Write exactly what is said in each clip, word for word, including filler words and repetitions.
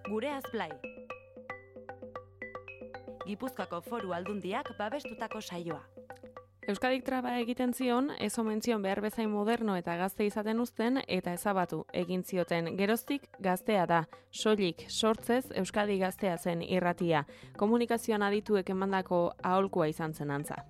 Gureaz Blai. Gipuzkoako Foru Aldundiak babestutako saioa. Euskadik traba egiten zion, ez omen zion behar bezain moderno eta gazte izaten uzten eta ezabatu egin zioten. Geroztik gaztea da, soilik sortzez Euskadi gaztea zen irratia. Komunikazioan adituek emandako aholkua izan zen antza.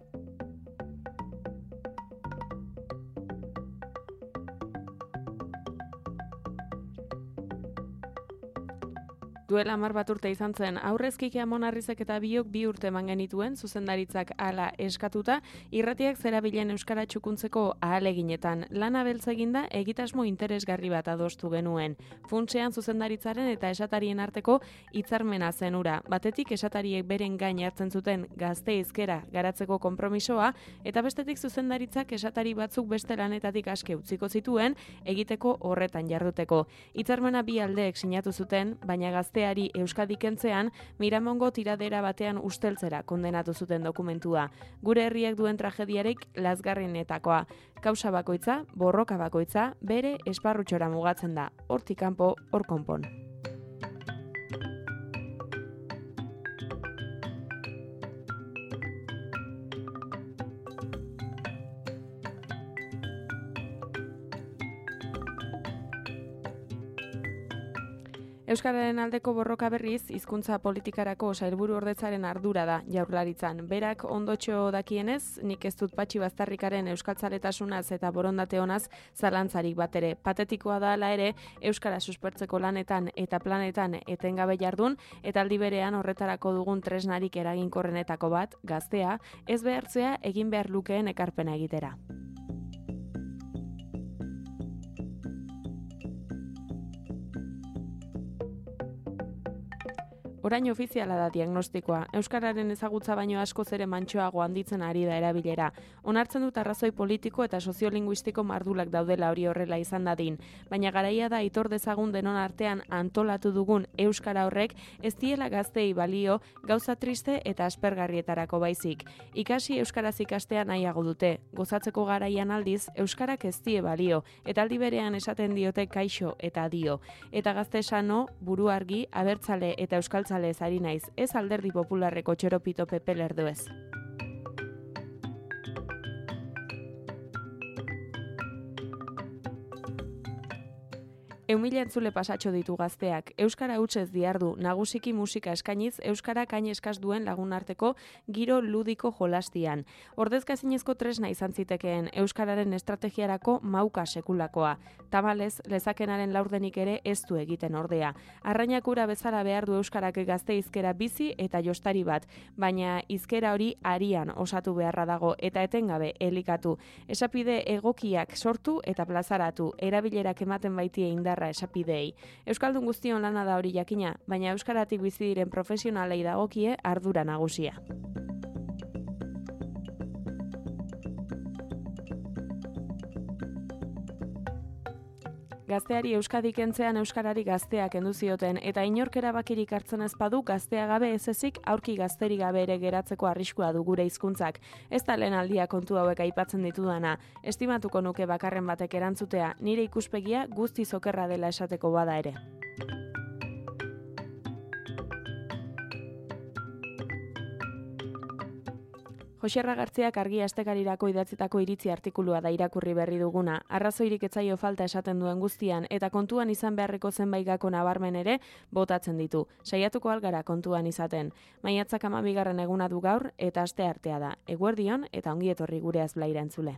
Duela hamar bat urte izan zen, aurrezkik Amon Arrizek eta biok bi urte eman genituen, zuzendaritzak hala eskatuta, irratiak zerabilen euskara txukuntzeko ahaleginetan. Lana beltza eginda egitasmo interesgarri bat adostu genuen. Funtsean zuzendaritzaren eta esatarien arteko hitzarmena zen hura. Batetik esatariek beren gain hartzen zuten gazte hizkera garatzeko konpromisoa, eta bestetik zuzendaritzak esatari batzuk beste lanetatik aske utziko zituen, egiteko horretan jarduteko. Hitzarmena bi aldeek sinatu zuten, baina gazte Euskadi kentzean, Miramongo tiradera batean usteltzera kondenatu zuten dokumentua. Gure herriak duen tragediarik lazgarrienetakoa. Kausa bakoitza, borroka bakoitza, bere esparrutxora mugatzen da. Hortik kanpo, hor konpon. Euskararen aldeko borroka berriz, hizkuntza politikarako sailburu ordetzaren ardura da Jaurlaritzan. Berak ondotxo dakienez, nik ez dut patxi baztarrikaren euskaltzaletasunaz eta borondate honaz zalantzarik bat ere. Patetikoa da hala ere, euskara suspertzeko lanetan eta planetan etengabe jardun, eta aldi berean horretarako dugun tresnarik eraginkorrenetako bat, gaztea, ez behartzea egin behar lukeen ekarpena egitera. Orain ofiziala da diagnostikoa. Euskararen ezagutza baino askoz ere mantsoago handitzen ari da erabilera. Onartzen dut arrazoi politiko eta soziolinguistiko mardulak daudela hori horrela izan dadin. Baina garaia da aitor dezagun denon artean antolatu dugun euskara horrek ez diela gaztei balio gauza triste eta aspergarrietarako baizik. Ikasi euskaraz ikastea nahiago dute. Gozatzeko garaian aldiz euskarak ez die balio eta aldi berean esaten diote kaixo eta dio. Eta gazte sano, buru argi, abertzale eta euskal Zalez ari naiz, ez alderdi popularreko txoropito pepe lerdoez. Eumila entzule pasatxo ditu gazteak. Euskara hutsez diardu, nagusiki musika eskainiz, euskara kain eskaz duen lagun arteko giro ludiko jolastian. Ordezkazinezko tresna izan zitekeen euskararen estrategiarako mauka sekulakoa. Tamalez, lezakenaren laurdenik ere ez du egiten ordea. Arrainakura bezala behar du euskarak gazte hizkera bizi eta jostari bat, baina hizkera hori arian osatu beharra dago eta etengabe elikatu. Esapide egokiak sortu eta plazaratu, erabilerak ematen baitie indar esapidei. Euskaldun guztion lana da hori jakina, baina euskaratik bizi diren profesionalei dagokie ardura nagusia. Gazteari Euskadi kentzean euskarari gazteak kendu zioten eta inork erabakirik hartzen ez badu gaztea gabe ez ezik aurki gazteri gabe ere geratzeko arriskua du gure hizkuntzak. Ez da lehen aldia kontu hauek aipatzen ditudana. Estimatuko nuke bakarren batek erantzutea, nire ikuspegia guztiz okerra dela esateko bada ere. Joxerra Gartziak Argia Astekarirako idatzitako iritzi artikulua da irakurri berri duguna. Arrazoirik etzaio falta esaten duen guztian eta kontuan izan beharreko zenbait gako nabarmen ere botatzen ditu. Saiatuko algara kontuan izaten. Maiatzak hamabigarren eguna du gaur eta aste artea da. Eguerdion eta ongi etorri Gureaz Blaira entzule.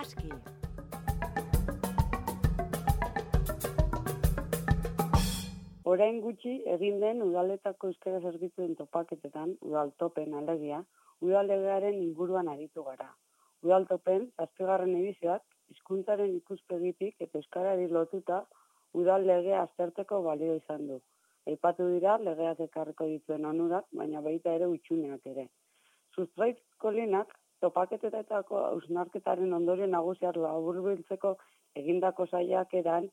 Aski. Orain gutxi egin den udaletako euskara zerbitzuen topaketetan, udaltopen alegia, udallegearen inguruan aritu gara. Udaltopen, zazpigarren edizioak, hizkuntzaren ikuspegitik eta euskarari lotuta udal legea aztertzeko balio izan du. Aipatu dira legeak ekarriko dituen onurak, baina baita ere hutsuneak ere. Sustraiz Kolinak topaketetako hausnarketaren ondorio nagusiak laburbiltzeko egindako saiakeran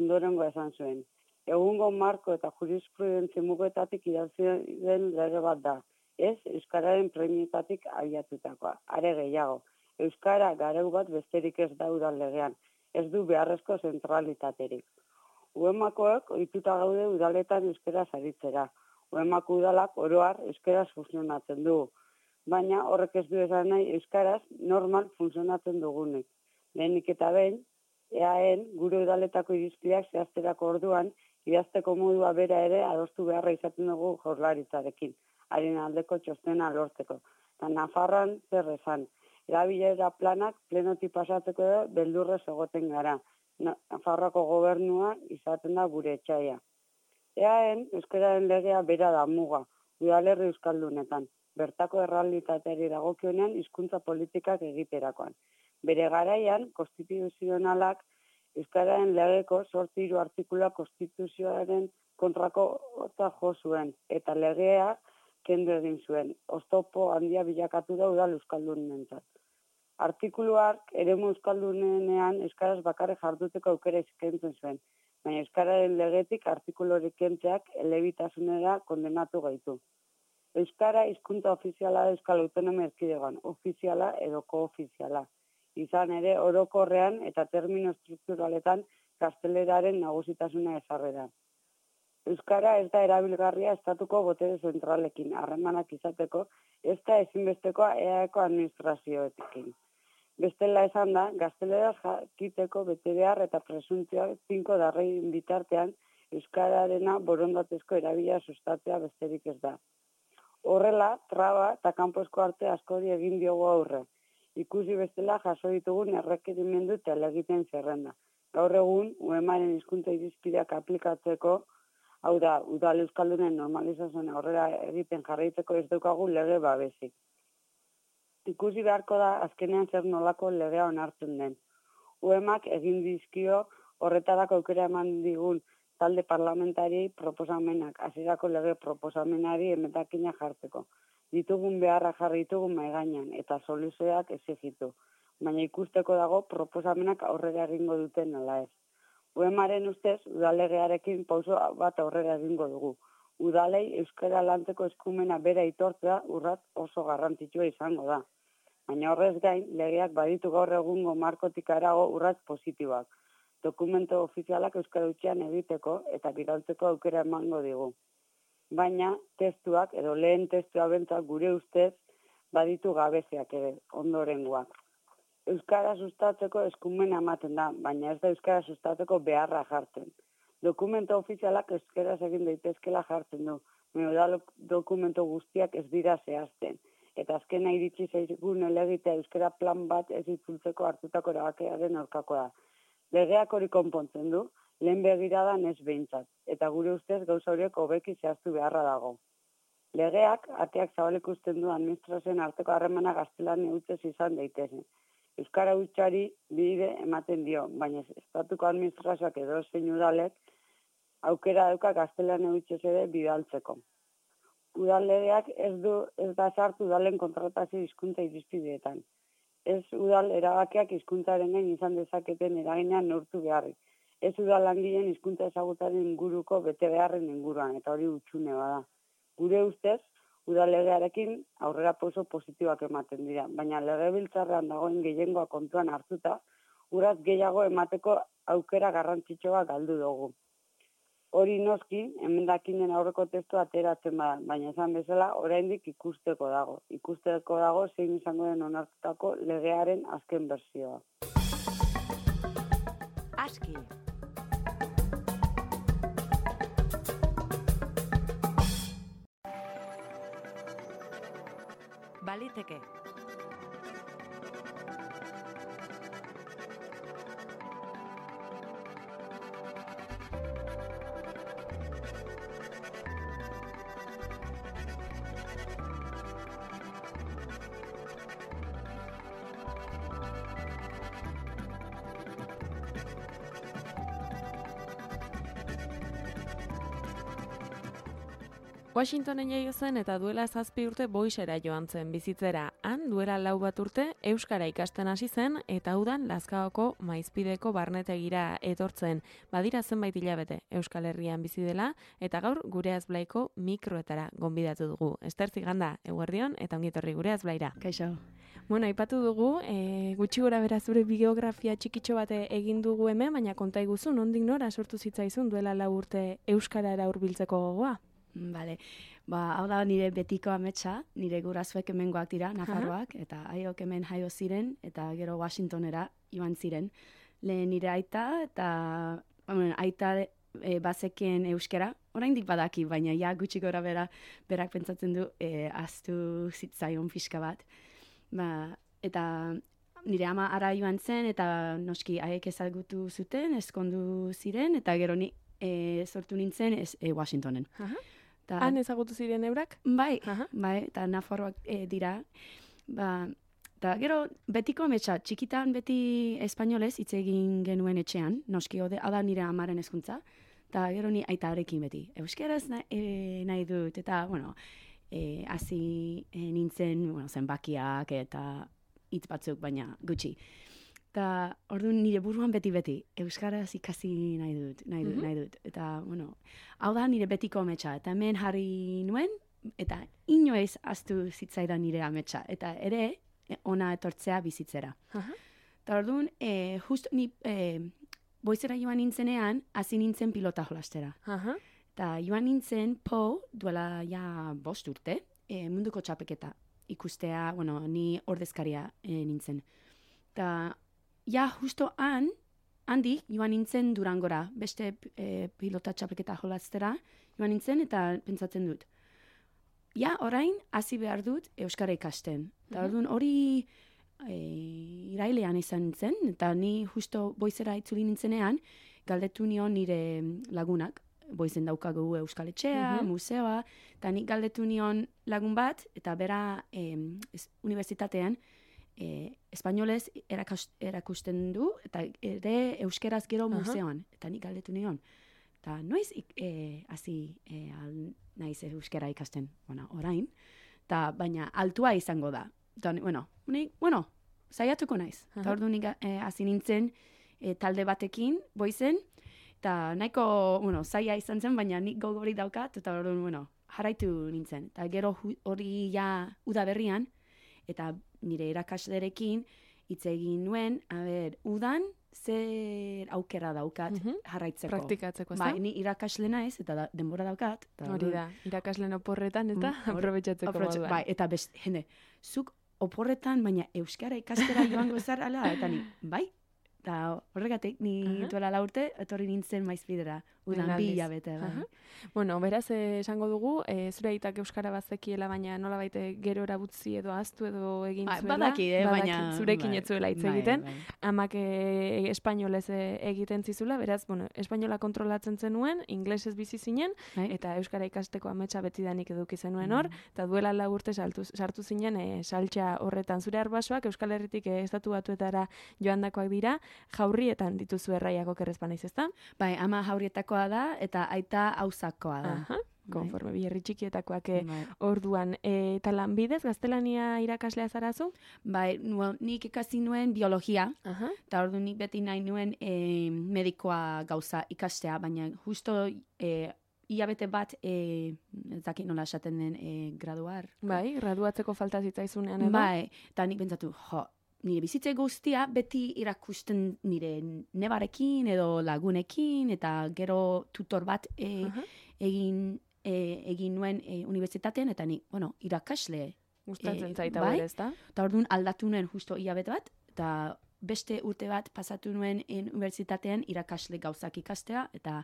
ondorengo esan zuen. Egungo marko eta jurisprudentzia mugetatik idatzi den lege bat da. Ez euskararen premietatik abiatutakoa. Are gehiago, euskara gareu bat besterik ez da udal legean. Ez du beharrezko zentralitaterik. Uemakoek ohituta gaude udaletan euskaraz aritzera. Uemako udalak oroar euskaraz funtzionatzen dugu. Baina horrek ez du esan nahi euskaraz normal funtzionatzen dugunik. Lehenik eta behin, eaen gure udaletako irizpideak zehazterako orduan, idazteko modua bera ere adostu beharra izaten dugu jaurlaritzarekin, haren aldeko txostena lortzeko. Eta Nafarroan zer esan, erabilera planak plenotik pasatzeko edo beldurrez egoten gara. Nafarroako gobernua izaten da gure etxaia. Eaen, euskararen legea bera da muga, udalerri euskaldunetan, bertako errealitateari dagokionean hizkuntza politikak egiterakoan. Bere garaian, konstituzionalak euskararen legeko zortzi hiru artikulua konstituzioaren kontrako ota jo zuen, eta legea kendu egin zuen. Oztopo handia bilakatu da udal euskaldunentzat. Artikuluak eremu euskaldunenean euskaraz bakarrik jarduteko aukera eskaintzen zuen, baina euskararen legetik artikulurik kentzeak elebitasunera kondenatu gaitu. Euskara hizkuntza ofiziala da Euskal Autonomia Erkidegoan, ofiziala edo koofiziala. Izan ere orokorrean eta termino estrukturaletan gazteleraren nagusitasuna ezarrera. Euskara ez da erabilgarria estatuko botere zentralekin, harremanak izateko, ez da ezinbestekoa eaeko administrazioetekin. Bestela esan da, gazteleraz jakiteko betebehar eta presuntzioak tinko darrein bitartean euskararena borondatezko erabila sustatzea besterik ez da. Horrela, traba eta kanposko arte askori egin diogu aurre. Ikusi bestela jaso ditugun errekerimendu eta legiten zerrenda. Gaur egun, uemaren hizkuntza irizpideak aplikatzeko, hau da, udal euskaldunen normalizazioen aurrera egiten jarraitzeko ez daukagu lege babesik. Ikusi beharko da azkenean zer nolako legea onartzen den. Uemak egin dizkio horretarako aukera eman digun talde parlamentari proposamenak, hasierako lege proposamenari emetakina jartzeko. Ditugun beharra jarri ditugun maigainan eta soluzioak exigitu, baina ikusteko dago proposamenak aurrera egingo duten ala ez. Uemaren ustez, udalegearekin pauso bat aurrera egingo dugu. Udalei euskara lantzeko eskumena bera aitortzea urrat oso garrantzitsua izango da. Baina horrez gain, legeak baditu gaur egungo markotik harago urrats positiboak. Dokumento ofizialak euskara hutsean egiteko eta bidaltzeko aukera emango digu. Baina testuak edo lehen testua bentzak gure ustez baditu gabeziak ere ondorengoak. Euskara sustatzeko eskumena ematen da, baina ez da euskara sustatzeko beharra jartzen. Dokumento ofizialak euskaraz egin daitezkela jartzen du, baina dokumento guztiak ez dira zehazten. Eta azkena iritsi zaigun elegitea euskara plan bat ez itzultzeko hartutako erabakiaren aurkakoa da. Legeak hori konpontzen du, lehen begiradan ez behintzat, eta gure ustez gauza horiek hobeki zehaztu beharra dago. Legeak ateak zabalik usten du administrazioen arteko harremana gaztelan hutsez izan daitezen. Euskara hutsari bide ematen dio, baina estatuko administrazioak edo zein udalek aukera dauka gaztelania hutsez ere bidaltzeko. Udal legeak ez du ez da sartu udalen kontratazio hizkuntza irizpideetan. Ez udal erabakiak hizkuntzaren gain izan dezaketen eraginean neurtu beharrik. Ez udal langileen hizkuntza ezagutaren inguruko bete beharren inguruan, eta hori hutsune bada. Gure ustez, udal legearekin aurrera pauso positiboak ematen dira, baina legebiltzarrean dagoen gehiengoa kontuan hartuta, uraz gehiago emateko aukera garrantzitsua galdu dugu. Hori noski, emendakinen aurreko testua ateratzen bada, baina esan bezala oraindik ikusteko dago. Ikusteko dago zein izango den onartutako legearen azken bertsioa. Aski. Baliteke. Washingtonen jaio zen eta duela zazpi urte Boisera joan zen bizitzera. Han duela lau bat urte euskara ikasten hasi zen eta udan Lazkaoko Maizpideko barnetegira etortzen. Badira zenbait hilabete Euskal Herrian bizi dela eta gaur gure Azblaiko mikroetara gonbidatu dugu. Ester Ziganda, eguerdion eta ongi etorri gure Azblaira. Kaixo. Bueno, aipatu dugu, e, gutxi gora bera zure biografia txikitxo bate egin dugu hemen, baina konta iguzu, nondik nora sortu zitzaizun duela lau urte euskarara hurbiltzeko gogoa? Vale. Ba, hau da nire betiko ametsa, nire gurasoek hemengoak dira, Nafarroak, eta haiok hemen jaio ziren, eta gero Washingtonera joan ziren. Lehen nire aita, eta bueno, aita e, bazekien euskera, oraindik badaki, baina ja gutxi gora bera, berak pentsatzen du, e, aztu zitzaion pixka bat. Ba, eta nire ama ara joan zen, eta noski haiek ezagutu zuten, eskondu ziren, eta gero ni e, sortu nintzen ez, e, Washingtonen. Aha. Han ezagutu ziren eurak? Bai, Aha. bai, eta Nafarroak e, dira. Ba, eta gero betiko ametsa, txikitan beti espainolez hitz egin genuen etxean, noski hau da nire amaren hezkuntza, eta gero ni aitarekin beti. Euskeraz nahi, e, nahi dut, eta, bueno, e, hasi e, nintzen, bueno, zenbakiak eta hitz batzuk, baina gutxi. Eta orduan nire buruan beti-beti, euskaraz ikasi nahi dut, nahi dut, mm-hmm. nahi dut. Eta, bueno, hau da nire betiko ametsa. Eta hemen jarri nuen, eta inoiz aztu zitzaidan nire ametsa. Eta ere, ona etortzea bizitzera. Uh-huh. Eta orduan, e, just ni e, Boizera joan nintzenean, hasi nintzen pilota jolastera. Uh-huh. Eta joan nintzen, po, duela ja bost urte, e, munduko txapeketa ikustea, bueno, ni ordezkaria e, nintzen. Eta ja, justo han, handik, joan nintzen Durangora, beste e, pilota txapelketa jolaztera, joan nintzen eta pentsatzen dut. Ja, orain, hasi behar dut euskara ikasten. Eta orduan hori e, irailean izan nintzen, eta ni justo Boizera itzuli nintzenean, galdetu nion nire lagunak, Boizen daukagu euskal etxea, uh-huh. museoa, eta nik galdetu nion lagun bat, eta bera e, unibertsitatean, E, espainolez erakast, erakusten du, eta ere euskeraz gero uh-huh. museoan, eta nik galdetu nion. Eta noiz e, hasi e, naiz euskera ikasten, bueno, orain, eta baina altua izango da. Eta, bueno, nik, bueno, saiatuko naiz. Eta uh-huh. ordu nik hasi e, nintzen e, talde batekin, Boizen, eta nahiko, bueno, zaila izan zen, baina nik gogori daukat, eta ordu, bueno, jarraitu nintzen. Eta gero hori ja udaberrian, eta nire irakaslerekin hitz egin nuen, a ber, udan zer aukera daukat uh-huh. jarraitzeko. Praktikatzeko, ez da? Bai, ni irakasle naiz eta da, denbora daukat. Hori da, irakasleen oporretan eta mm, aprobetxatzeko moduan. Bai, eta best, jende, zuk oporretan, baina euskara ikastera joango zarala, eta ni, bai, eta horregatik, ni uh-huh. duela la urte, etorri nintzen Maizpidera, udan bi hilabete. Bai. Uh-huh. Bueno, beraz, eh, esango dugu, eh, zure aitak euskara bazekiela, baina nola baite gero erabutzi edo aztu edo egin ba, zuela. Badaki, eh, badaki, baina... Zurekin bai, etzuela hitz bai, egiten. Bai. Amak eh, espainolez eh, egiten zizula, beraz, bueno, espainola kontrolatzen zenuen, inglesez bizi zinen, bai. Eta euskara ikasteko ametsa betidanik eduki zenuen hor, mm. eta duela lau urte saltu, sartu zinen eh, saltxa horretan. Zure arbasoak Euskal Herritik eh, estatu batuetara joandakoak dira, jaurrietan dituzu erraiako kerrezpa naiz, ezta? Bai, ama jaurietakoa da, eta aita auzakoa da. Aha. Konforme biherri txikietakoak bai. Orduan. E, eta lanbidez, gaztelania irakaslea zarazu? Bai, well, nik ikasi nuen biologia, uh-huh. eta ordu nik beti nahi nuen e, medikoa gauza ikastea, baina justo e, hilabete bat, e, ez dakit nola esaten den, e, graduar. Bai, graduatzeko falta zitzaizunean edo? Bai, eta nik pentsatu, jo, nire bizitze guztia beti irakusten nire nebarekin edo lagunekin, eta gero tutor bat e, uh-huh. egin E, egin nuen e, unibertsitatean, eta ni, bueno, irakasle. Gustatzen e, zaita bai? ez da? Eta orduan aldatu nuen justo hilabete bat, eta beste urte bat pasatu nuen unibertsitatean irakasle gauzak ikastea, eta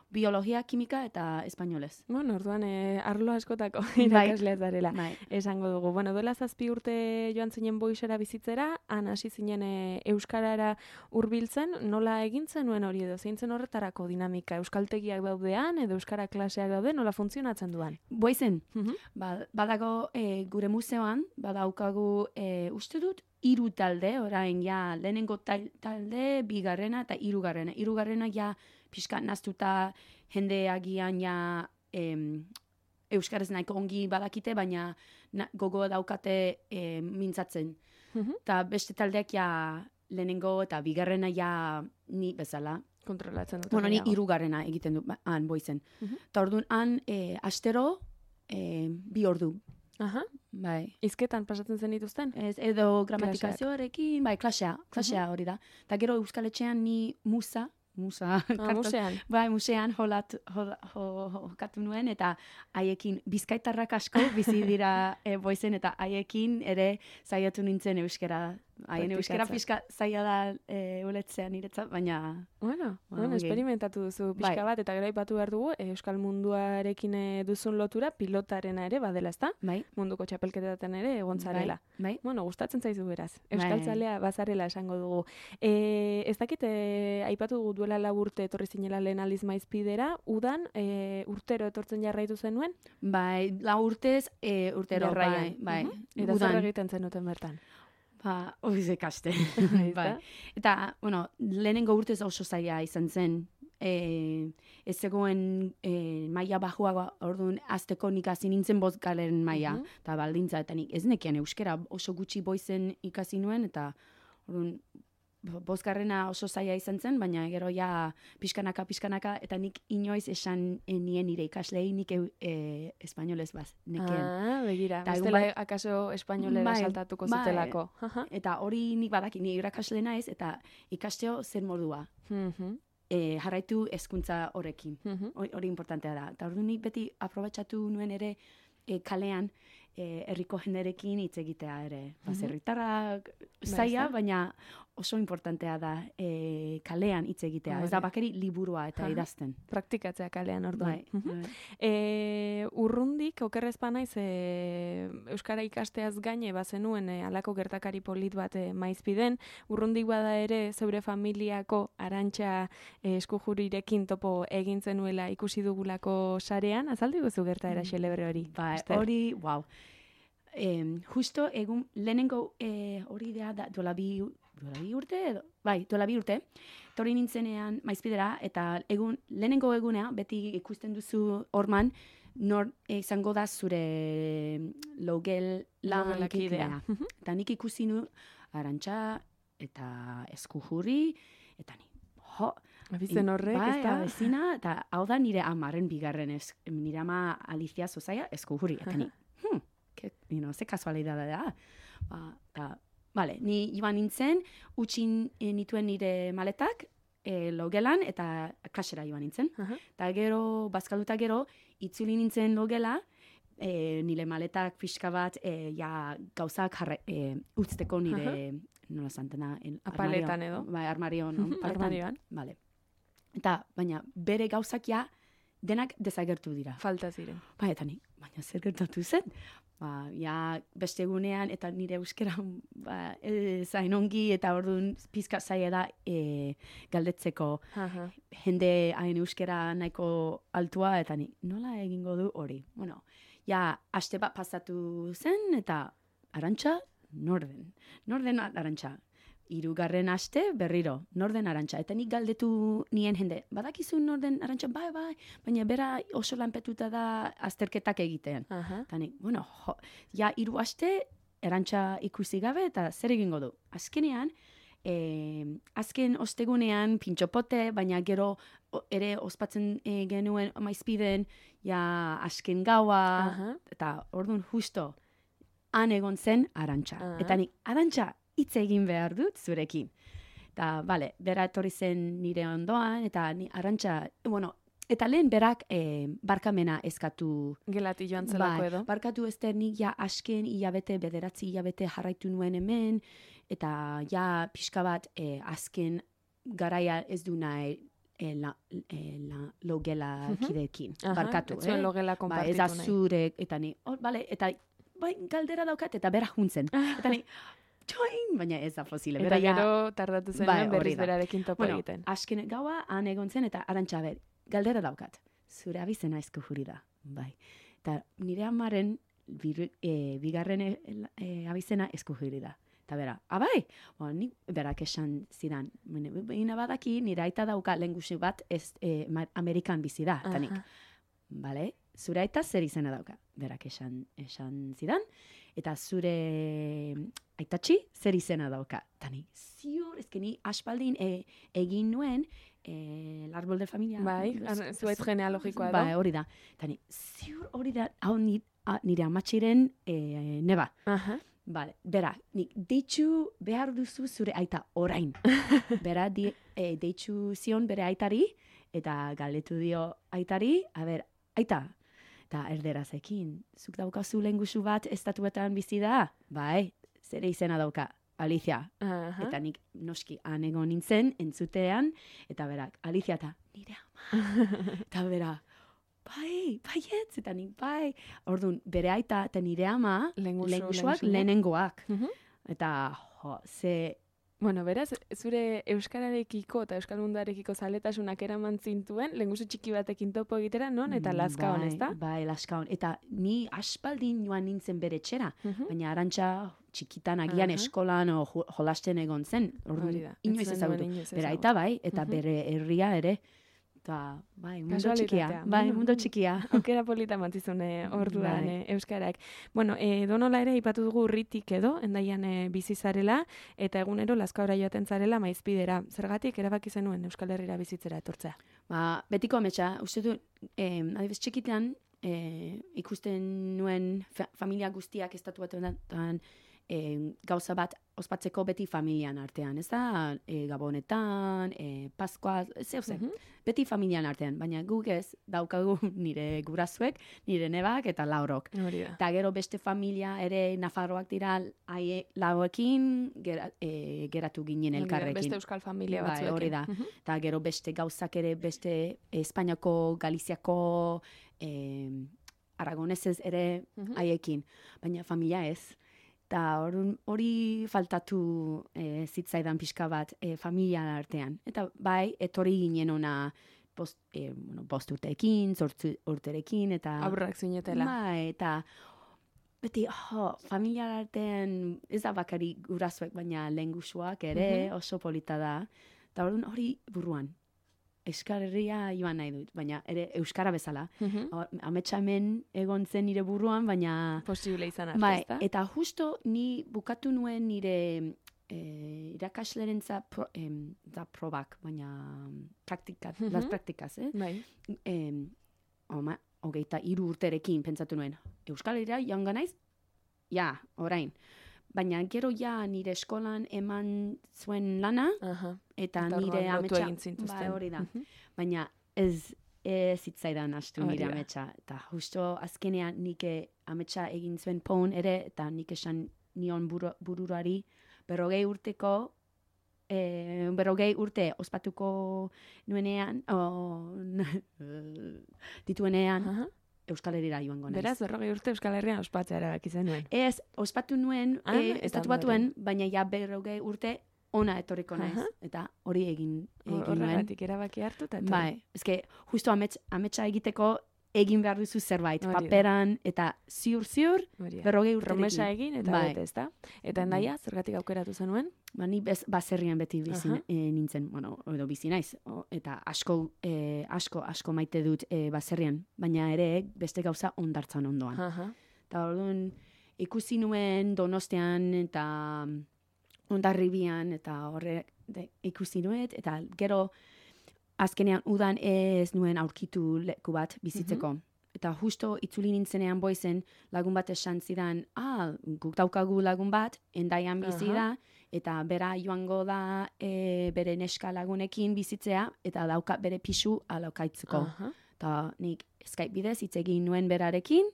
biologia, kimika eta espainolez. Bueno, orduan, eh, arlo askotako irakaslea zarela. Bai. Esango dugu. Bueno, duela zazpi urte joan zinen Boizera bizitzera, han hasi zinen e, euskarara hurbiltzen, nola egin zenuen hori edo, zein zen horretarako dinamika? Euskaltegiak daudean, edo euskara klaseak daude, nola funtzionatzen duan? Boizen, Uh-huh. ba, badago e, gure museoan, badaukagu e, uste dut, hiru talde, orain ja lehenengo tal, talde, bigarrena eta hirugarrena. Hirugarrena ja pixka naztuta jende agian ja em, euskaraz nahiko ongi badakite, baina na, gogo daukate e, mintzatzen. Mhm. Eta beste taldeak ja lehenengo eta bigarrena ja ni bezala. Kontrolatzen dut. Bueno, ni hirugarrena egiten du, ba, han boizen. Mhm. Eta orduan han e, astero e, bi ordu. Aha. Bai. Hizketan pasatzen zen dituzten? Ez, edo gramatikazioarekin, bai, klasea, klasea hori da. Eta gero Euskal Etxean ni musa, musa, Ah, musean. bai, musean jolat, jol, jo, jokatu nuen, eta haiekin bizkaitarrak asko bizi dira e, boizen, eta haiekin ere saiatu nintzen euskera. Haien euskera pixka zaila da e, uletzea niretzat, baina... Bueno, Ba, bueno, ongi. esperimentatu duzu pixka Bai. bat, eta gero aipatu behar dugu, eh, euskal munduarekin eh, duzun lotura pilotarena ere badela, ezta? Bai, Munduko txapelketetan ere egontzarela. bai, bai. Bueno, gustatzen zaizu beraz. Bai. Euskaltzalea bazarela esango dugu. E, ez dakit, e, aipatu dugu duela lau urte etorri zinela lehen aldiz maizpidera, udan e, urtero etortzen jarraitu zenuen? Bai, lau urtez, e, urtero, Jarraian. bai, bai. Mhm. Eta zer egiten zenuten bertan? Ba, oiz ikaste. Bai, bai. Eta, bueno, lehenengo urtez oso zaila izan zen. E, ez zegoen e, maila bajuago, orduan, azteko nik hasi nintzen bozkalen maila, Mhm. eta baldintza, eta nik ez nekian euskera oso gutxi boizen ikasi nuen, eta orduan, bozkarrena oso zaila izan zen, baina gero ja pixkanaka, pixkanaka, eta nik inoiz esan e, nien nire ikaslei nik e, e, espainolez baz, nekien. Ah, begira. Ta egun Bestela bat- akaso espainolera Bai, saltatuko bai. zutelako. Aha. Eta hori nik badaki, ni irakasle naiz, eta ikasteo zer modua. Mhm, E, jarraitu hezkuntza horrekin. mhm. Hori hori importantea da. Eta orduan nik beti aprobetxatu nuen ere e, kalean e, herriko jenderekin hitz egitea ere. Mhm. Baserritarrak Bai, zaila, ezta? baina oso importantea da e, kalean hitz egitea. Ez da Hori. bakeri liburua eta Aha. idazten. Praktikatzea kalean orduan. Bai, Mhm. bai. E, urrundik, okerrez naiz e, Euskara ikasteaz gaine bazenuen e, alako gertakari polit bat e, maizpiden, urrundik bada ere zeure familiako Arantxa e, eskujurirekin topo egin zenuela ikusi dugulako sarean, azaldu guzu gertaera xelebre hori. Ba, Ester? hori, wow. Em, justo egun lehenengo e, hori da, da duela bi, duela bi urte edo? Bai, duela bi urte. Tori nintzenean maizpidera, eta egun, lehenengo egunea, beti ikusten duzu horman, nor e, izango da zure logel Logelakidea. lankidea. Eta nik ikusi nu Arantxa eta Eskujurri, eta ni, jo, Abizen horrek, bai, ez da? abezina, eta hau da nire amaren bigarren, ez, nire ama Alicia Zozaia Eskujurri, eta ni, hmm, que, you know, ze kasualidade da. Ba, ta, vale, ni joan nintzen, utxin eh, nituen nire maletak, e, logelan, eta klasera joan nintzen. Aha. Eta gero, bazkalduta gero, itzuli nintzen logela, e, nire maletak pixka bat, e, ja, gauzak jarra, e, utzteko nire, nola zantena, en, Apaletan armario- edo? Bai, armario, no? Mhm, Paletan. armarioan. Vale. Eta, baina, bere gauzak ja, denak desagertu dira. Falta ziren. Ba, eta ni, baina zer gertatu zen? Ba, ja, beste egunean, eta nire euskera ba, e, zain ongi, eta orduan pizka zaila da e, galdetzeko Aha. jende hain euskera nahiko altua, eta ni, nola egingo du hori? Bueno, ja, aste bat pasatu zen, eta Arantxa, norden. Norden Arantxa. Hirugarren aste berriro, norden Arantxa. Eta nik galdetu nien jende, badakizu norden Arantxa, bai, bai, baina bera oso lanpetuta da azterketak egitean. Aha. Eta nik, bueno, jo, ja, hiru aste Arantxa ikusi gabe, eta zer egingo du? Azkenean, eh, azken ostegunean pintxopote, baina gero o, ere ospatzen eh, genuen maizpiden, ja, azken gaua, Aha. eta orduan justo, han egon zen Arantxa. Aha. Eta nik, Arantxa, hitz egin behar dut zurekin. Eta, bale, bera etorri zen nire ondoan, eta ni Arantxa, bueno, eta lehen berak eh, barkamena eskatu. Gelati joan zelako Bai, edo. barkatu Ester, nik ja asken hilabete, bederatzi hilabete jarraitu nuen hemen, eta ja pixka bat eh, azken garaia ez du nahi eh, la, eh, la, logela Mhm. kidekin. Aha, Barkatu, ez zuen eh? logela Ba, konpartitu ez da nahi. zure, eta ni, oh, bale, eta bai, galdera daukat, eta bera juntzen. Eta ni, join, baina ez da posible. Eta Bera ja- gero tardatu zen Bai, hori berriz da. berarekin topo bueno, egiten. asken gaua han egon zen, eta Arantxa, ber, galdera daukat. Zure abizena Eskujurri da. Bai. Eta nire amaren biru, e, bigarren e, e, abizena Eskujurri da. Eta bera, abai, bueno, nik berak esan zidan, baina badaki nire aita dauka lengusi bat ez, e, ma- Amerikan bizi da. Eta nik, Aha. bale, zure aita zer izena dauka? Berak esan, esan zidan, eta zure aitatxi zer izena dauka? Tani, ziur, ezken ni aspaldin e, egin nuen, e, el árbol de familia. Bai, zuaitz genealogikoa bai, hori da. Tani, ziur hori da, hau ni, a, nire amatxiren e, neba. Aha. Vale, bera, nik deitxu behar duzu zure aita orain. Bera, di, e, deitxu zion bere aitari, eta galdetu dio aitari, a ber, aita, eta erderazekin, zuk daukazu lengusu bat estatuetan bizi da? Bai, zere izena dauka, Alicia. Aha. Eta nik noski anego nintzen, entzutean, eta berak, Alicia eta nire ama. Eta bera, bai, baietz, eta nik bai. Orduan, bere aita eta nire ama, Lengusu, lengusuak lengusuak. lehenengoak. Mhm. Eta, jo, ze... Bueno, beraz, zure euskararekiko eta euskal munduarekiko zaletasunak eraman zintuen, lengusu txiki batekin topo egitera, non? Eta laskaon, bai, ez da? Bai, laskaon. Eta ni aspaldin joan nintzen bere etxera, Mhm. baina arantxa txikitan agian Aha. eskolan o jo- jolasten egon zen. Orduan, Hori da. inoiz Ez zuen ezagutu. duen inoiz Bere ezagutu. aita bai, eta Mhm. bere herria ere. Eta, bai, mundu txikia. Kasualitatea. Bai, Mundu- mundu txikia. Aukera polita mantzizune orduan Bai. eh, euskarak. Bueno, eh, donola ere ipatu dugu urritik edo, endaian eh, bizi zarela, eta egunero Lazkaora joaten zarela maizpidera. Zergatik erabaki zenuen Euskal Herrira bizitzera etortzea? Ba, betiko ametsa, uste du, eh, adibes txikitan, eh, ikusten nuen fa familia guztiak estatuetan eh, gauza bat ospatzeko beti familian artean, ez da? E, Gabonetan, e, Paskoa, zeu zen, Mhm. beti familian artean, baina guk ez daukagu nire gurasoek, nire nebak eta laurok. Hori da. Eta gero beste familia ere Nafarroak dira haie lauekin gera, e, geratu ginen Hori da, elkarrekin. Beste euskal familia Bai, batzuekin. hori da. Mhm. Eta gero beste gauzak ere beste Espainiako, Galiziako, e, Aragonesez ere Mhm. haiekin, baina familia ez. Eta hori faltatu e, zitzaidan pixka bat e, familia artean. Eta bai, etorri ginen ona bost, e, bueno, bost urteekin, zortzi urterekin, eta... Aurrak zinetela. Bai, eta beti, jo, familia artean ez da bakari gurasoek, baina lengusuak ere Mhm. oso polita da. Eta orduan hori buruan. Euskal Herria joan nahi dut, baina ere euskara bezala. Mhm. Ametsa hemen egon zen nire buruan, baina... Posible izan arte, Bai, ezta? eta justo ni bukatu nuen nire eh, irakaslerentza pro, em, da probak, baina praktika, Mhm. las praktikaz, eh? Bai. Em, oma, hogeita hiru urterekin pentsatu nuen. Euskal Herria joango naiz? Ja, orain. Baina gero ja nire eskolan eman zuen lana, Aha. eta, Eta nire orduan lotu ametsa... egin zintuzten. Bai, hori da. Mhm. Baina ez ez zitzaidan astu Hori nire da. ametsa. Eta justo azkenean nik ametsa egin zuen pon ere, eta nik esan nion buru, bururuari berrogei urteko, e, berrogei urte ospatuko nuenean, o, dituenean, Aha. Euskal Herrira joango naiz. Beraz, berrogei urte Euskal Herrian ospatzea erabaki zenuen. Ez, ospatu nuen, Ah, e, eta estatu batuen, baina ja berrogei urte ona etorriko naiz. Aha. Eta hori egin, egin nuen. Horregatik erabaki hartu eta etorri. Bai, eske justo amets, ametsa egiteko egin behar duzu zerbait, Hori da. paperan, eta ziur-ziur, Hori da. berrogei urterekin. Promesa egin eta Bai. bete, ezta? Eta endaia, zergatik aukeratu zenuen? Ba, ni bez, baserrian beti bizi Aha. e, nintzen, bueno, edo bizi naiz, o, eta asko, e, asko, asko maite dut e, baserrian, baina ere beste gauza ondartzan ondoan. Aha. Eta orduan ikusi nuen Donostian eta Hondarribian eta horre de, ikusi nuet, eta gero azkenean udan ez nuen aurkitu leku bat bizitzeko. Eta justo itzuli nintzenean boizen lagun bat esan zidan, ah, guk daukagu lagun bat, endaian bizi Aha. da, eta bera joango da e, bere neska lagunekin bizitzea, eta dauka bere pisu alokaitzeko. Aha. Eta nik Skype bidez hitz egin nuen berarekin,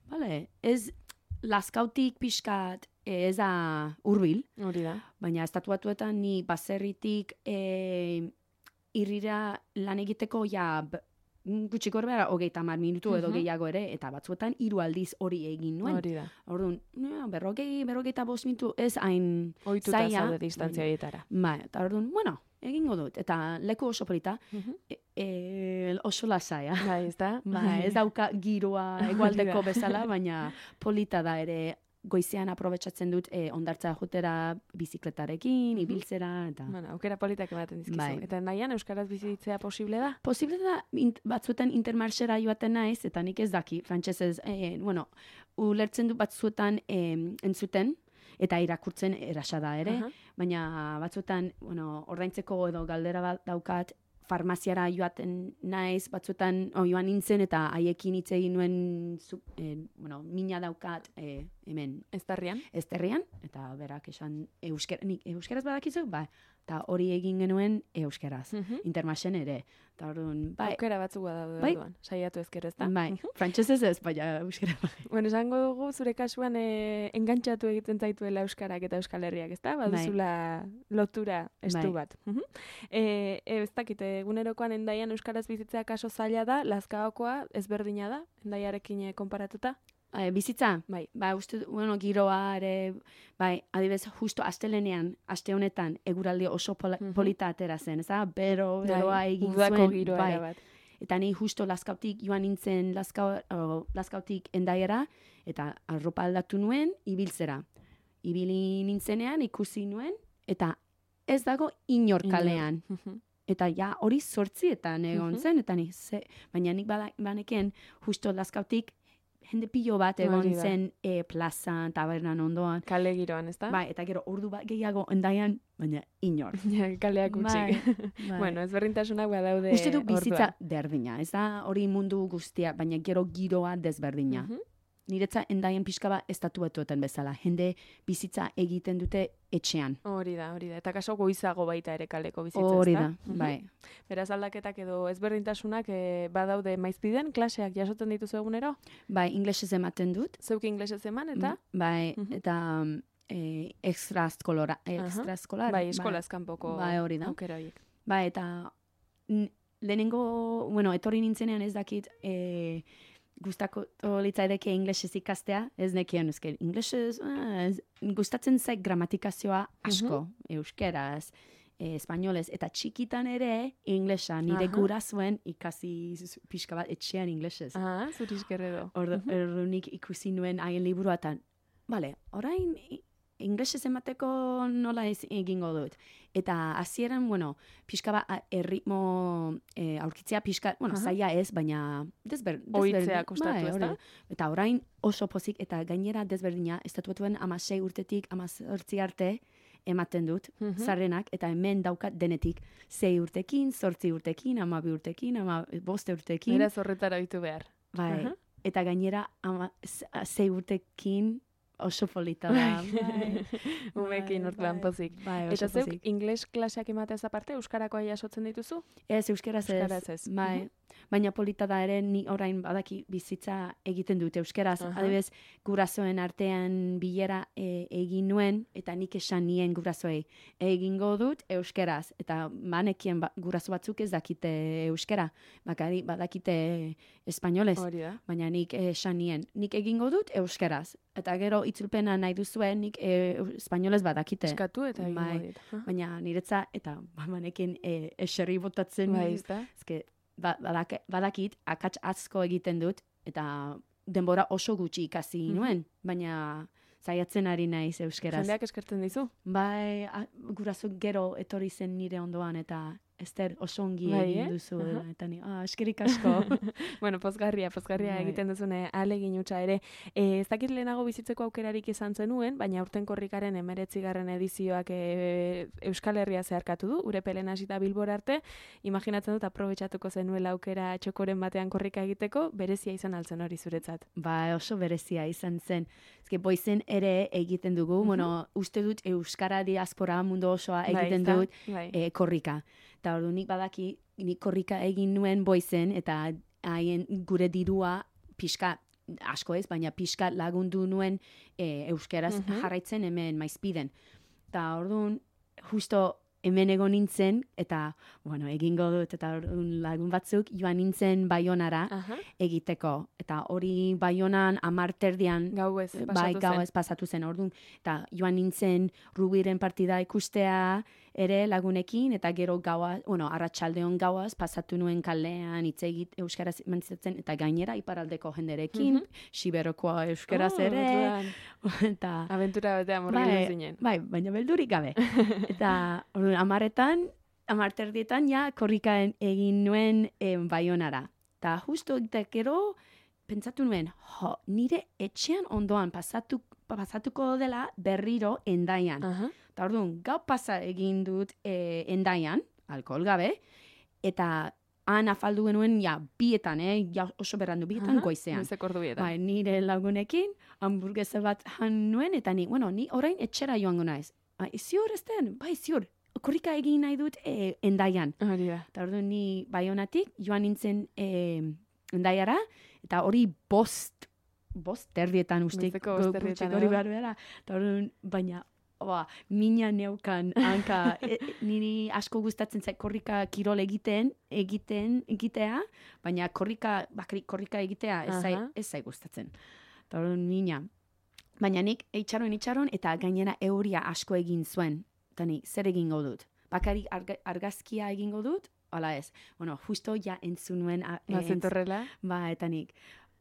bale, ez laskautik pixkat ez da hurbil, Hori da. baina estatuatuetan ni baserritik e, irrira lan egiteko ja b- gutxi gorbera hogeita hamar minutu edo Mhm. gehiago ere, eta batzuetan hiru aldiz hori egin nuen. Hori da. Orduan, ja, berrogei, berrogeita bost minutu ez hain Ohituta zaila. zaude distantzia horietara. Ba, eta orduan, bueno, egingo dut. Eta leku oso polita, Mhm. e, e, oso lasaia. Bai, ez da? Ba, ez dauka giroa Hori egualdeko da. bezala, baina polita da ere goizean aprobetsatzen dut e, ondartza jotera bizikletarekin, ibiltzera, eta... Bueno, aukera politak ematen dizkizu. Bai. Eta nahian euskaraz bizitzea posible da? Posible da, int, batzuetan intermarxera joaten naiz, eta nik ez daki, frantsesez, e, bueno, ulertzen du batzuetan e, entzuten, eta irakurtzen erasa da ere, Aha. baina batzuetan, bueno, ordaintzeko edo galdera bat daukat, farmaziara joaten naiz, batzuetan oh, joan nintzen, eta haiekin hitz egin nuen, zu, eh, bueno, mina daukat eh, hemen Eztarrian? ezterrian, eta berak esan, euskera, nik euskeraz badakizu, ba, eta hori egin genuen euskeraz, Mhm. intermasen ere. Eta orduan, bai, Aukera batzuk badaude Bai. orduan. Saiatu ezkero, ezta? bai, frantsesez ez, baina euskera bai. Bueno, esango dugu zure kasuan e, engantxatu egiten zaituela euskarak eta Euskal Herriak, ezta? Baduzula lotura estu Bai. bat. Mhm. E, e, ez dakit, egunerokoan endaian euskaraz bizitzea kaso zaila da, Lazkaokoa ezberdina da, endaiarekin e, konparatuta? E, bizitza? Bai. Ba, uste, du- bueno, giroa ere, bai, adibez, justo astelenean, aste honetan, eguraldi oso pola, Mhm. polita atera zen, ez da? Bero, beroa Bai, egin udako zuen, giroa bai. erabat. Eta ni justo Lazkautik joan nintzen Lazkau, o, Lazkautik endaiera, eta arropa aldatu nuen, ibiltzera. Ibili nintzenean, ikusi nuen, eta ez dago inor kalean. Mhm. Eta ja hori zortzietan egon Mhm. zen, eta ni, ze, baina nik bada, baneken justo Lazkautik jende pilo bat egon Hori da. zen e, plazan, tabernan ondoan. Kale giroan, ezta? Bai, eta gero ordu bat gehiago endaian, baina inor. Ja, kaleak utzi. Bai, bai. Bueno, ezberdintasunak badaude Uste du bizitza orduan. berdina, ez da hori mundu guztia, baina gero giroa desberdina. Mhm. Niretza endaien pixka bat estatu batuetan bezala. Jende bizitza egiten dute etxean. Hori da, hori da. Eta kaso goizago baita ere kaleko bizitza, Hori ezta? da, Mhm. bai. Beraz aldaketak edo ezberdintasunak e, badaude maizpiden, klaseak jasotzen dituzu egunero? Bai, inglesez ematen dut. Zeuk inglesez eman, eta? Bai, Mhm. eta um, e, extraeskolara, extraeskolar. Bai, eskolaz kanpoko Bai, hori da. aukera horiek. Bai, eta n- lehenengo, bueno, etorri nintzenean ez dakit, e, gustako litzaideke inglesez ikastea, ez nekien, eske inglesez, ah, ez- gustatzen zait gramatikazioa asko, euskeraz, e, espainolez, eta txikitan ere inglesa, nire Aha. gurasoen ikasi z- pixka bat etxean inglesez. Ah, zurizkerredo. Ordu, ordunik ikusi nuen haien liburua eta, bale, orain i- inglesez emateko nola ez egingo dut. Eta hasieran, bueno, pixka bat a- erritmo e, aurkitzea pixka, bueno, Aha. zaila ez, baina desber, Ohitzea desberdin- kostatu, bai, ezta? hori. Eta orain oso pozik, eta gainera desberdina, estatuetuen amasei urtetik amazortzi arte ematen dut, Mhm. zarrenak, eta hemen daukat denetik, zei urtekin, zortzi urtekin, amabi urtekin, ama boste urtekin. Beraz horretara ditu behar. Bai, Aha. eta gainera ama, z- zei urtekin oso polita da. Bai, Umekin bai, orduan bai. pozik. Bai, oso Eta zeuk pozik. ingles klaseak emateaz aparte, euskarakoa jasotzen dituzu? Ez, euskeraz ez. Euskaraz ez. Bai, Mhm. baina polita da ere, ni orain badaki bizitza egiten dut euskeraz. Aha. Adibez, gurasoen artean bilera e, egin nuen, eta nik esan nien gurasoei egingo dut euskeraz. Eta manekien ba, guraso batzuk ez dakite euskera, bakari badakite espainolez. Hori da. Baina nik esan nien, nik egingo dut euskeraz. Eta gero itzulpena nahi duzuen, nik e, espainolez badakite. Eskatu eta egingo Bai. dit. Aha. Baina niretza, eta banekin e, eserri botatzen. Bai, ezta? Ezke, ba, badak, badakit, akats asko egiten dut, eta denbora oso gutxi ikasi Mhm. nuen. Baina zaiatzen ari naiz euskeraz. Jendeak eskertzen dizu? Bai, a, guraso gero etorri zen nire ondoan, eta Ester, oso ongi Bai, egin eh? duzu. Aha. Eta ni, ah, eskerik asko. Bueno, pozgarria, pozgarria Bai. egiten duzune ahalegin hutsa ere. E, ez dakit lehenago bizitzeko aukerarik izan zenuen, baina aurten korrikaren emeretzigarren edizioak e, Euskal Herria zeharkatu du, Urepelen hasita Bilbora arte. Imaginatzen dut aprobetxatuko zenuela aukera txokoren batean korrika egiteko, berezia izan altzen hori zuretzat. Ba, oso berezia izan zen. Ezke, boizen ere egiten dugu, Mhm. bueno, uste dut Euskara diaspora mundu osoa Bai, egiten ezta? dut Bai. e, korrika. Eta ordu nik badaki, nik korrika egin nuen boizen, eta haien gure dirua pixka, asko ez, baina pixka lagundu nuen e, euskeraz Mhm. jarraitzen hemen maizpiden. Eta orduan, justo hemen egon nintzen, eta, bueno, egingo dut, eta orduan lagun batzuk joan nintzen Baionara Aha, egiteko. Eta hori Baionan amarterdian gau ez, bai, pasatu gau zen. ez pasatu zen, orduan. Eta joan nintzen Rubiren partida ikustea, ere lagunekin, eta gero gaua, bueno, arratsaldeon gauaz, pasatu nuen kalean hitz egit euskaraz mantzatzen, eta gainera iparaldeko jenderekin, mm -hmm. Siberokoa euskaraz oh, ere. Eta, aventura batean murgildu bai, zinen. Bai, baina beldurik gabe. Eta amaretan, amarterdietan, ja, korrika egin nuen eh, Baionara. Eta justo eta gero, pentsatu nuen, jo, nire etxean ondoan pasatu, pasatuko dela berriro Endaian. Uh-huh. Eta orduan, gau pasa egin dut e, Endaian, alkohol gabe, eta han afaldu genuen, ja, bietan, eh, ja, oso berrandu, bietan uh-huh. goizean. Goizeko ordu bietan. Bai, nire lagunekin, hamburguesa bat jan nuen, eta ni, bueno, ni orain etxera joango naiz. Bai, ziur ez den, bai, ziur, korrika egin nahi dut e, Endaian. Hori da. Eta orduan, ni Baionatik joan nintzen e, Endaiara, eta hori bost, bost terdietan ustik. Goizeko bost terdietan, hori behar behar. Eta orduan, baina, oa, mina neukan, hanka, e, niri asko gustatzen zait korrika kirol egiten, egiten, egitea, baina korrika, bakri, korrika egitea ez zai, ez zai gustatzen. Eta orduan, mina. Baina nik eitxaron, eitxaron, eta gainera euria asko egin zuen. Eta nik, zer egingo dut? Bakarrik arga, argazkia egingo dut? Hala ez. Bueno, justo ja entzun nuen. Bazentorrela? Ba, eta nik,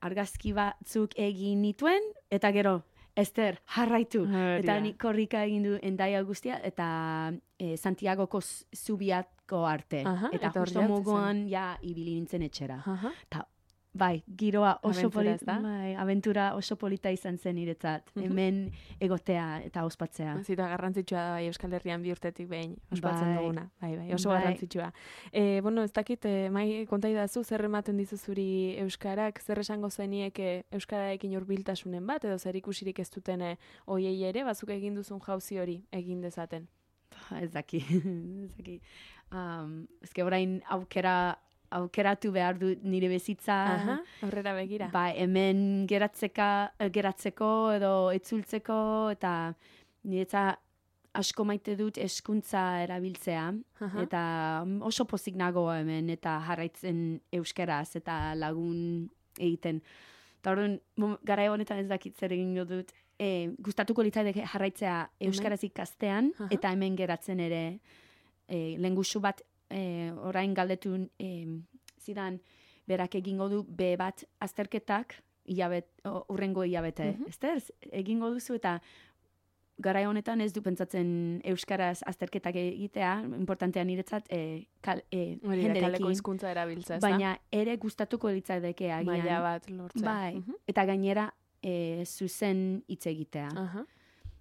argazki batzuk egin nituen, eta gero, Ester, jarraitu. Hori eta da. nik korrika egin du Endaia guztia, eta e, Santiagoko zubiatko arte. Aha, eta, eta justo hor mugoan, ja, ibili nintzen etxera. Aha. Eta, bai, giroa oso Abentura, polita, ezta? bai, aventura oso polita izan zen niretzat. Mhm. Hemen egotea eta ospatzea. Zita garrantzitsua da bai Euskal Herrian bi urtetik behin ospatzen Bai. duguna. Bai, bai, oso Bai. garrantzitsua. Eh, bueno, ez dakit, eh, mai konta idazu zer ematen dizu zuri euskarak, zer esango zenieke euskararekin hurbiltasunen bat edo zer ikusirik ez duten eh, hoiei ere bazuk egin duzun jauzi hori egin dezaten. Ba, ez daki, ez daki. Um, ezke orain aukera aukeratu behar du nire bezitza. Aha, aurrera begira. Ba, hemen geratzeka, geratzeko edo etzultzeko, eta niretza asko maite dut eskuntza erabiltzea, Aha. eta oso pozik nago hemen, eta jarraitzen euskeraz, eta lagun egiten. Eta orduan, mom- garai honetan ez dakit zer egingo dut, e, gustatuko litzaideke jarraitzea euskaraz ikastean, Aha. eta hemen geratzen ere e, lengusu bat e, orain galdetun e, zidan berak egingo du be bat azterketak hilabet, o, urrengo hilabete. Mhm. Ester, egingo duzu eta garai honetan ez du pentsatzen euskaraz azterketak egitea, importantea niretzat e, kal, e, Hori da, kaleko jenderekin, hizkuntza erabiltza, ezta? baina ere gustatuko litzaideke agian. maila bat lortzea. Bai, Mhm. eta gainera e, zuzen hitz egitea. Aha.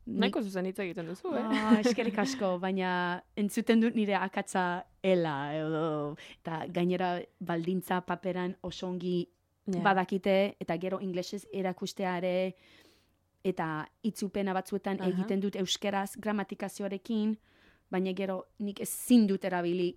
Nik- Nahiko zuzen hitz egiten duzu, eh? Ah, eskerrik asko, baina entzuten dut nire akatsa ela, edo, eta gainera baldintza paperan oso ongi Ja. badakite, eta gero inglesez erakustea ere, eta itzupena batzuetan Aha. egiten dut euskeraz gramatikazioarekin, baina gero nik ezin dut erabili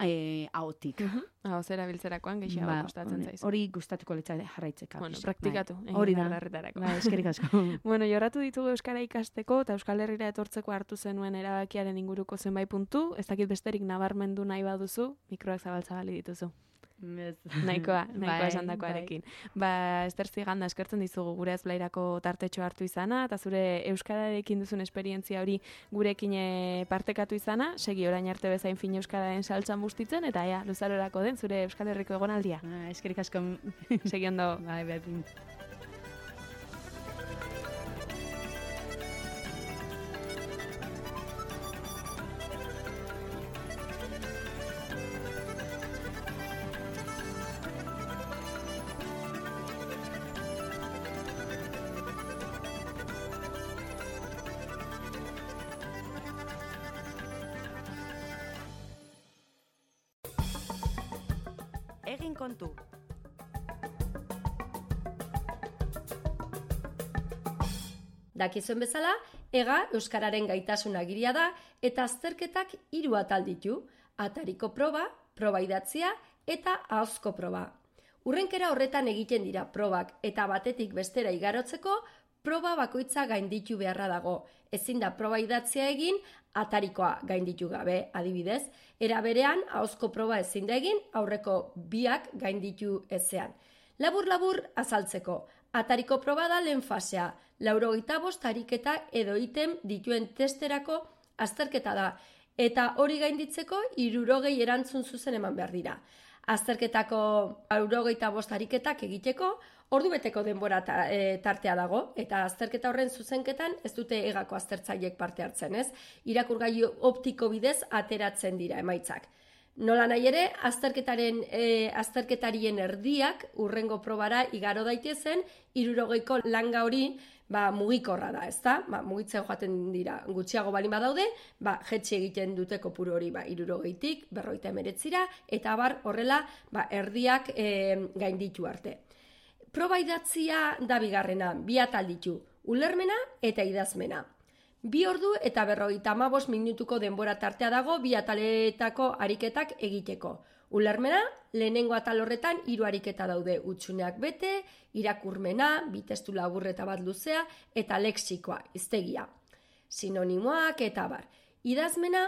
eh, ahotik. Mhm. Hau, zera biltzerakoan gehiago Ba, kostatzen hori- zaizu. Hori gustatuko litzaide jarraitzeka. Bueno, pixka, praktikatu. bai. egin Hori da. berdarretarako. Bai, eskerrik asko. Bueno, jorratu ditugu Euskara ikasteko eta Euskal Herrira etortzeko hartu zenuen erabakiaren inguruko zenbait puntu. Ez dakit besterik nabarmendu nahi baduzu, mikroak zabaltzabali dituzu. Nahikoa, nahikoa Bai, esandakoarekin. Ba, Ester Ziganda eskertzen dizugu gure ezblairako tartetxo hartu izana, eta zure euskararekin duzun esperientzia hori gurekin eh, partekatu izana, segi orain arte bezain fin euskararen saltzan bustitzen, eta ea, luzarorako den zure Euskal Herriko egonaldia. Ah, eskerrik asko. Segi ondo. Bai, berdin. Egin kontu. Dakizuen bezala, ega euskararen gaitasun agiria da eta azterketak hiru atal ditu: atariko proba, proba idatzia eta ahozko proba. Urrenkera horretan egiten dira probak eta batetik bestera igarotzeko proba bakoitza gainditu beharra dago. Ezin da proba idatzia egin atarikoa gainditu gabe, adibidez, era berean ahozko proba ezin da egin aurreko biak gainditu ezean. Labur-labur azaltzeko, atariko proba da lehen fasea, laurogeita bost ariketa edo item dituen testerako azterketa da, eta hori gainditzeko hirurogei erantzun zuzen eman behar dira. Azterketako hirurogeita bost ariketak egiteko ordubeteko denbora ta, e, tartea dago, eta azterketa horren zuzenketan ez dute egako aztertzaileek parte hartzen, ez? Irakurgailu optiko bidez ateratzen dira emaitzak. Nola nahi ere, azterketaren e, azterketarien erdiak urrengo probara igaro daitezen, hirurogeiko langa hori ba, mugikorra da, ezta? Ba, mugitzen joaten dira, gutxiago balin badaude, ba, jetxi egiten dute kopuru hori ba, hirurogeitik, berrogeita hemeretzira, eta bar horrela ba, erdiak e, gainditu arte. Proba idatzia da bigarrena, bi atal ditu, ulermena eta idazmena. Bi ordu eta berrogeita hamabost minutuko denbora tartea dago bi ataletako ariketak egiteko. Ulermena, lehenengo atal horretan hiru ariketa daude, hutsuneak bete, irakurmena, bi testu labur eta bat luzea, eta lexikoa, hiztegia. Sinonimoak eta bar. Idazmena,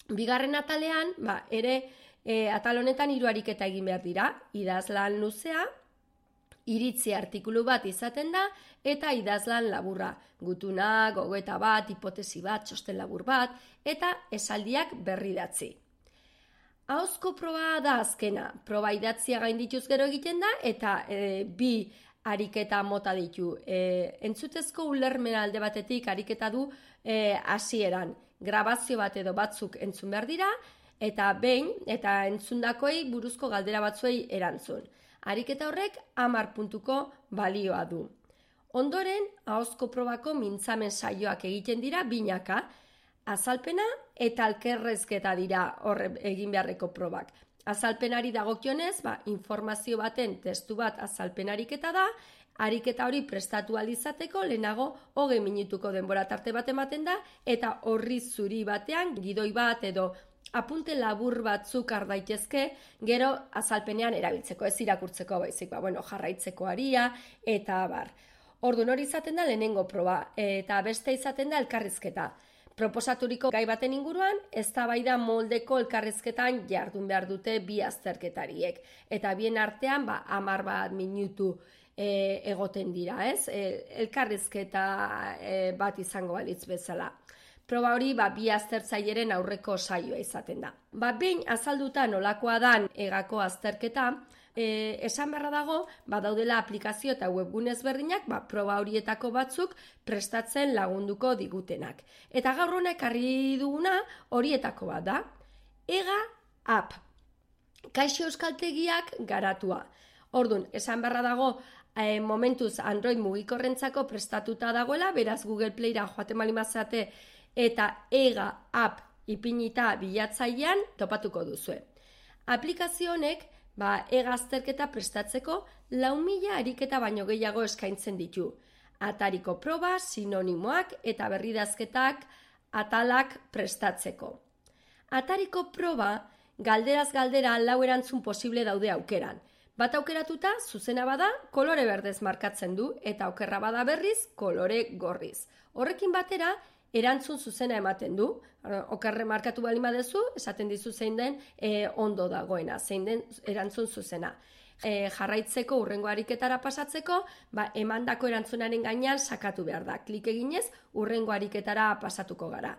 bigarren atalean, ba, ere e, atal honetan hiru ariketa egin behar dira, idazlan luzea, iritzi artikulu bat izaten da, eta idazlan laburra, gutuna, gogoeta bat, hipotesi bat, txosten labur bat, eta esaldiak berridatzi. Ahozko proba da azkena, proba idatzia gaindituz gero egiten da, eta e, bi ariketa mota ditu. E, entzutezko ulermena alde batetik ariketa du e, hasieran, grabazio bat edo batzuk entzun behar dira, eta behin, eta entzundakoei buruzko galdera batzuei erantzun. Ariketa horrek hamar puntuko balioa du. Ondoren, ahozko probako mintzamen saioak egiten dira binaka, azalpena eta alkerrezketa dira horre egin beharreko probak. Azalpenari dagokionez, ba, informazio baten testu bat azalpen ariketa da, ariketa hori prestatu ahal izateko lehenago hogei minutuko denbora tarte bat ematen da, eta horri zuri batean gidoi bat edo apunte labur batzuk har daitezke, gero azalpenean erabiltzeko, ez irakurtzeko baizik, ba, bueno, jarraitzeko aria, eta bar. Orduan hori izaten da lehenengo proba, eta beste izaten da elkarrizketa. Proposaturiko gai baten inguruan, eztabaida moldeko elkarrizketan jardun behar dute bi azterketariek. Eta bien artean, ba, hamar bat minutu e, egoten dira, ez? E, elkarrizketa e, bat izango balitz bezala. Proba hori ba, bi aztertzaileren aurreko saioa izaten da. Ba, behin azalduta nolakoa dan egako azterketa, e, esan beharra dago, ba, daudela aplikazio eta webgune ezberdinak, ba, proba horietako batzuk prestatzen lagunduko digutenak. Eta gaur honek ekarri duguna horietako bat da. Ega app. Kaixo euskaltegiak garatua. Ordun, esan beharra dago, e, momentuz Android mugikorrentzako prestatuta dagoela, beraz Google Playra joaten malimazate eta ega app ipinita bilatzailean topatuko duzue. Aplikazio honek ba, ega azterketa prestatzeko lau mila ariketa baino gehiago eskaintzen ditu. Atariko proba, sinonimoak eta berridazketak atalak prestatzeko. Atariko proba galderaz galdera lau erantzun posible daude aukeran. Bat aukeratuta zuzena bada kolore berdez markatzen du eta okerra bada berriz kolore gorriz. Horrekin batera erantzun zuzena ematen du, okerre markatu bali badezu, esaten dizu zein den e, ondo dagoena, zein den erantzun zuzena. E, jarraitzeko urrengo ariketara pasatzeko, ba, emandako erantzunaren gainean sakatu behar da. Klik eginez, urrengo ariketara pasatuko gara.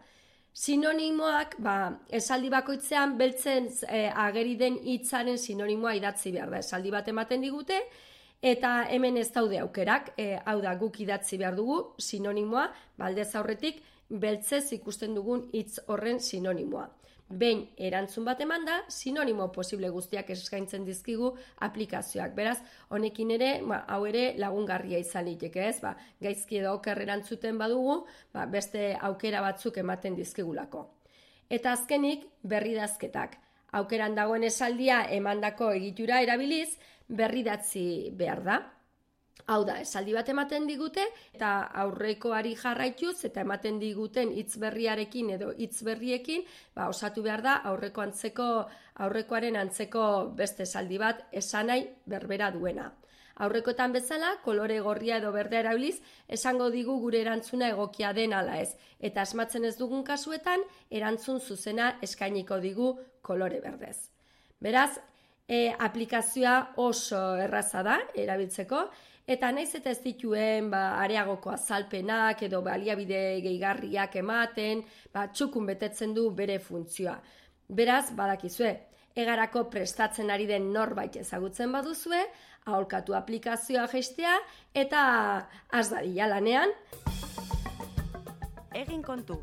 Sinonimoak, ba, esaldi bakoitzean beltzen e, ageri den hitzaren sinonimoa idatzi behar da. Esaldi bat ematen digute, eta hemen ez daude aukerak, e, hau da guk idatzi behar dugu sinonimoa, baldez aurretik, beltzez ikusten dugun hitz horren sinonimoa. Behin erantzun bat emanda, sinonimo posible guztiak eskaintzen dizkigu aplikazioak. Beraz, honekin ere, ba, hau ere lagungarria izan liteke, ez? Ba, gaizki edo oker erantzuten badugu, ba, beste aukera batzuk ematen dizkigulako. Eta azkenik, berridazketak. Aukeran dagoen esaldia emandako egitura erabiliz, berridatzi behar da. Hau da, esaldi bat ematen digute eta aurrekoari jarraituz eta ematen diguten hitz berriarekin edo hitz berriekin, ba, osatu behar da aurreko antzeko, aurrekoaren antzeko beste esaldi bat esanai berbera duena. Aurrekoetan bezala, kolore gorria edo berdea erabiliz, esango digu gure erantzuna egokia den ala ez. Eta asmatzen ez dugun kasuetan, erantzun zuzena eskainiko digu kolore berdez. Beraz, e, aplikazioa oso erraza da erabiltzeko, eta naiz eta ez dituen ba, areagoko azalpenak edo baliabide gehigarriak ematen, ba, txukun betetzen du bere funtzioa. Beraz, badakizue, egarako prestatzen ari den norbait ezagutzen baduzue, aholkatu aplikazioa jaistea eta has dadila lanean. Egin kontu.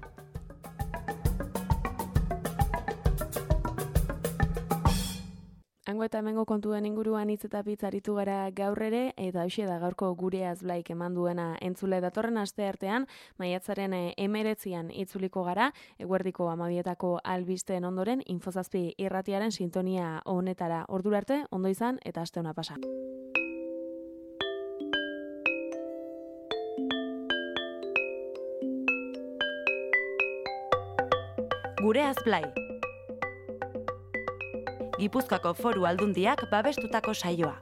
Hango eta hemengo kontuen inguruan hitz eta pitz aritu gara gaur ere, eta hoxe da gaurko gure azblaik eman duena entzule datorren aste artean, maiatzaren emeretzian itzuliko gara, eguerdiko amabietako albisteen ondoren, Infozazpi irratiaren sintonia honetara ordura arte, ondo izan eta aste ona pasa. Gure azblai. Gipuzkoako Foru Aldundiak babestutako saioa.